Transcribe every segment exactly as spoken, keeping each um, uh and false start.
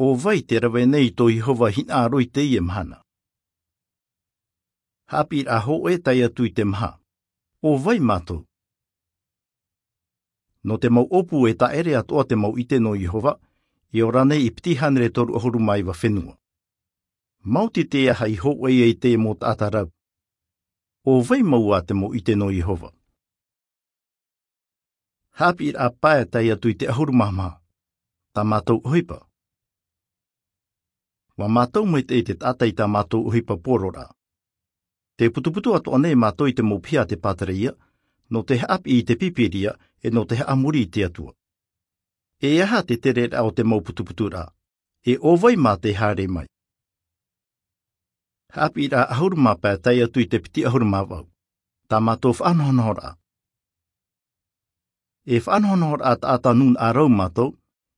ʻO vai te rave nei tō Iehova hinaʻaro i teie mahana? Haʻapiʻiraʻa hōʻē tae atu i te maha. ʻO vai mātou? Nō te mau ʻōpū e taʻere atoʻa te mau ʻite nō Iehova, e ora nei i piti hānere toru ʻahuru mā iva fenua. Maoti te aha i hōʻē ai te mau taʻata rau? ʻO vai mau ā te mau ʻite nō Iehova? Haʻapiʻiraʻa pae tae atu i te ʻahuru mā maha. Tā mātou ʻohipa. ʻUa mātau maitaʻi te taʻata i tā mātou ʻohipa poroʻraʻa. Tē putuputu atoʻa nei mātou i te mau piha a te pātereia, nō te haʻapiʻi i te Pīpīria, e nō te haʻamori i te Atua. E aha te tereraʻa o te mau putuputuraʻa? E ʻo vai mā tē haere mai? Haʻapiʻiraʻa ʻahuru mā pae tae atu i te piti ʻahuru mā vaʻu. Tā mātou faʻanahonahoraʻa. E faʻanahonahoraʻa taʻata nūnaʻa rau mātou,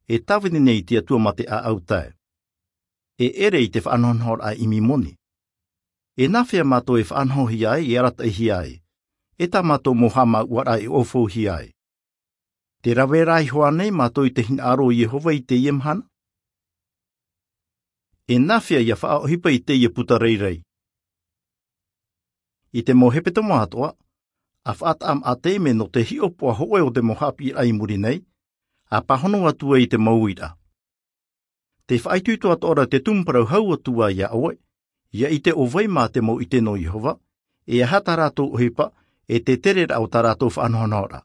e tāvini nei i te Atua mā te ʻāʻau tae. E ʻere i te faʻanahonahoraʻa ʻimi moni. E nāfea mātou e faʻanahohia ai, e arataʻihia ai? E tā mātou mau haʻamāuʻaraʻa e ʻōfouhia ai? Tē rave ra iho ā nei mātou i te hinaʻaro o Iehova i teie mahana? E nāfea ʻia faʻaʻohipa i teie puta rairai? I te mau hepetoma atoʻa, ʻa faʻataʻa maʻa te ʻimi nō te hiʻopoʻa hōʻē o te mau haʻapiʻiraʻa i muri nei, ʻa pāhono atu ai i te mau uiraʻa. Tē faʻaitoito atoʻa ra te tumu parau hau atu ā iā ʻoe, ʻia ʻite ʻo vai mā te mau ʻite nō Iehova, e aha tā rātou ʻohipa, e te tereraʻa o tā rātou faʻanahonahoraʻa.